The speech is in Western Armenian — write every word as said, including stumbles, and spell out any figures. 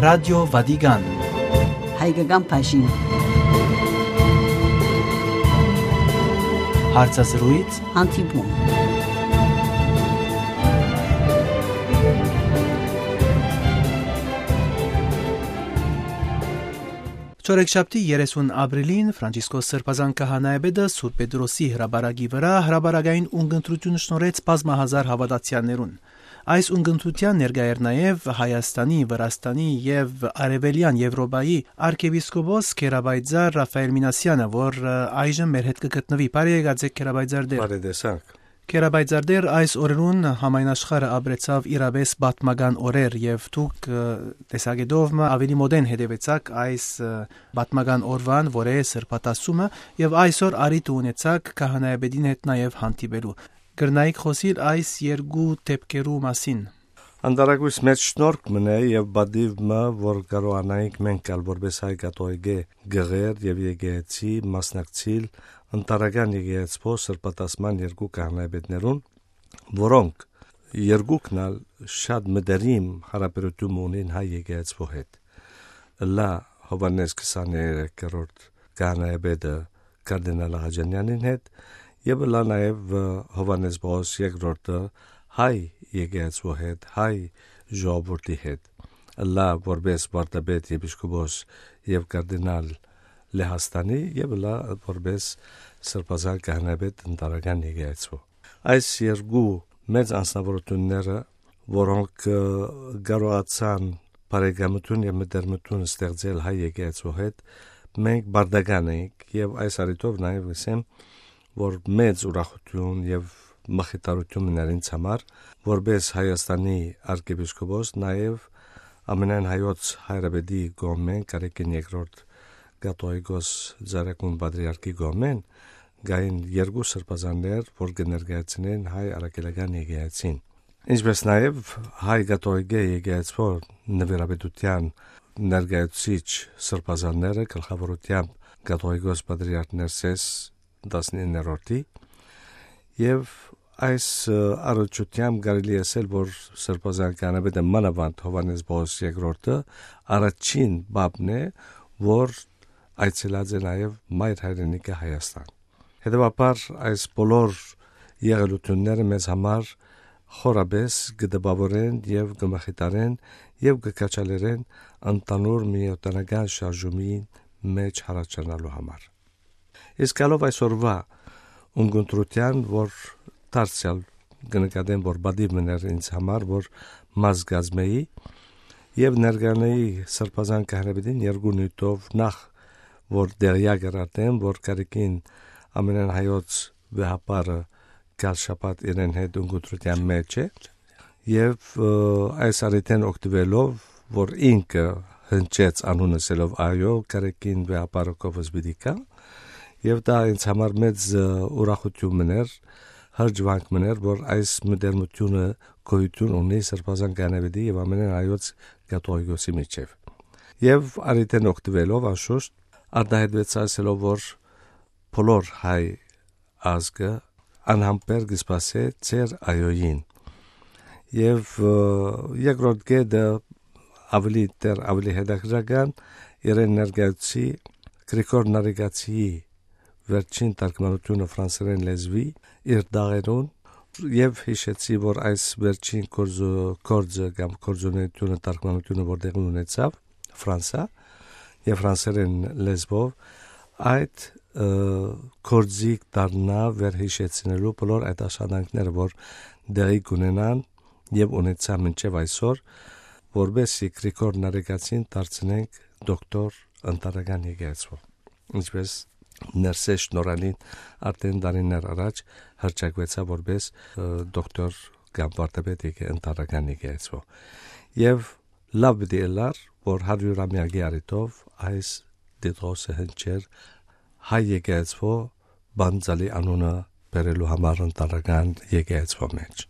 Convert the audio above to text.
Ռադիո Վատիկան։ Հայկական բաժին։ Հարցազրույց։ Հանդիպում։ Չորեքշաբթի երեսուն ապրիլին Ֆրանցիսկոս Սրբազան Քահանայապետը Սուրբ Պետրոսի հրապարակի վրայ հրապարակային ունկնդրութիւն շնորհեց բազմահազար հաւատացեալներուն։ Այս ունկնդրութեան ներկայ էր նաեւ Հայաստանի, Վրաստանի եւ Արեւելեան Եւրոպայի արքեպիսկոպոս Գերապայծառ Ռաֆայել Մինասեանը, որ, ը, այժմ մեր հետ կը գտնուի։ Բարի եկած եք, Գերապայծառ Տէր։ Բարի տեսանք։ Գերապայծառ Տէր, այս օրերուն համայն աշխարհը ապրեցաւ իրապէս պատմական օրեր եւ դուք, ը, տեսակէտով մը աւելի մօտէն հետեւեցաք այս, ը, պատմական օրուան, որ է սրբատասումը, եւ այսօր առիթը ունեցաք քահանայապետին հետ նաեւ հանդիպելու։ Կրնայիք խօսիլ այս երկու դէպքերու մասին։ Անտարակոյս մեծ շնորհք մըն է եւ պատիւ մը, որ կարողանայինք մենք ալ որպէս հայ կաթողիկէ գղեր եւ եկեղեցի մասնակցիլ ընտարական եկեղեցւոյ սրբատասման երկու քահանայապետներուն, որոնք երկուքն ալ շատ մտերիմ յարաբերութիւն ունին հայ եկեղեցւոյ հետ։ Ըլլայ Յովհաննէս քսաներկերորդ քահանայապետը կարդինալ Աղաջանեանին հետ եւ ըլլայ նաեւ, ը, Յովհաննէս Պաւլոս երկրորդը հայ եկեղեցւոյ հետ, հայ ժողովուրդի հետ։ Ըլլայ որպէս վարդապետ, եպիսկոպոս եւ կարդինալ Լեհաստանի եւ ըլլայ որպէս սրբազան քահանայապետ ընտարական եկեղեցւոյ։ Այս երկու մեծ անձնաւորութիւնները, որոնք, ը, կարողացան բարեկամութիւն եւ մտերմութիւն ստեղծել հայ եկեղեցւոյ հետ, մենք պարտական ենք եւ այս առիթով նաեւ կ'ըսեմ, որ մեծ ուրախութիւն եւ մխիթարութիւն մըն էր ինձ համար, որպէս Հայաստանի արքեպիսկոպոս, նաեւ ամենայն հայոց հայրապետի կողմէն, Կարեկին երկրորդ կաթողիկոս Ծառայկուն պատրիարքի կողմէն, կային երկու սրբազաններ, որ կը ներկայացնեն հայ առաքելական եկեղեցին, ինչպես նաեւ հայ կաթողիկէ եկեղեցւոյ նուիրապետութեան ներկայացուցիչ սրբազանները, գլխաւորութեամբ կաթողիկոս պատրիարք Ներսէս տասնիններորդի, եւ այս, ը, առնչութեամբ կարելի է ասել, որ սրբազան քահանայապետը մանաւանդ Յովհաննէս Պաւլոս երկրորդը առաջին պապն է, որ այցելած է նաեւ մայր հայրենիքը Հայաստան։ Հետեւաբար այս բոլոր եղելութիւնները մեզ համար խորապէս կը տպաւորեն եւ կը մխիթարեն եւ կը քաջալերեն ընդհանուր միօտանական շարժումին մէջ յառաջանալու համար։ Իսկ գալով այսօրուայ ունկնդրութեան, որ դարձեալ կը նկատեմ, որ պատիւ մըն էր ինձ համար, որ մաս կազմէի եւ ներկանայի սրբազան քահանայապետին երկու նիւթով, նախ որ տեղեակ էր արդեն, որ Կարեկին ամենայն հայոց վեհափառը գալ շաբաթ իրեն հետ ունկնդրութեան մէջ է, եւ, ը, այս առիթէն օգտուելով, որ ինքը հնչեց անունը ասելով. «Այո, Կարեկին վեհափառը քովս պիտի գայ», եւ դա ինձ համար մեծ, ը, ուրախութիւն մըն էր, հրճուանք մըն էր, որ այս մտերմութիւնը գոյութիւն ունի սրբազան քահանայապետի եւ ամենայն հայոց կաթողիկոսի միջեւ։ Եւ առիթէն օգտուելով, անշուշտ, արտահայտվեցայ ասելով, որ բոլոր հայ ազգը անհամբեր կը սպասէ ձեր այոյին։ Եւ, ը, երկրորդ կետը, աւելի դեռ աւելի հետաքրքրական, իրեն ներկայացուցի Գրիգոր Նարեկացիի վերջին թարգմանութիւնը ֆրանսերէն լեզուի իր դաղերուն, եւ յիշեցի, որ այս վերջին գործը, գործը կամ գործունեութիւնը, թարգմանութիւնը, որ տեղի ունեցաւ Ֆրանսա եւ ֆրանսերէն լեզուով, այդ, ը, գործիք դառնայ վերհիշեցնելու բոլոր այդ աշխատանքները, որ տեղի կունենան եւ ունեցան մինչեւ այսօր, որպէս զի Գրիգոր Նարեկացին դարձնենք դոկտոր ընտանեկան եկեղեցւոյ, ինչպես Ներսէս Շնորհալին արդեն տարիներ առաջ հռչակուեցաւ որպէս, ը, դոկտոր կամ վարդապետ եկե-, ընտանեկան եկեղեցւոյ։ Եւ լաւ պիտի ըլլար, որ հարիւրամեակի առիթով այս տիտղոսը հնչեր հայ եկեղեցւոյ Պանծալի անունը բերելու համար ընտանեկան եկեղեցւոյ մէջ։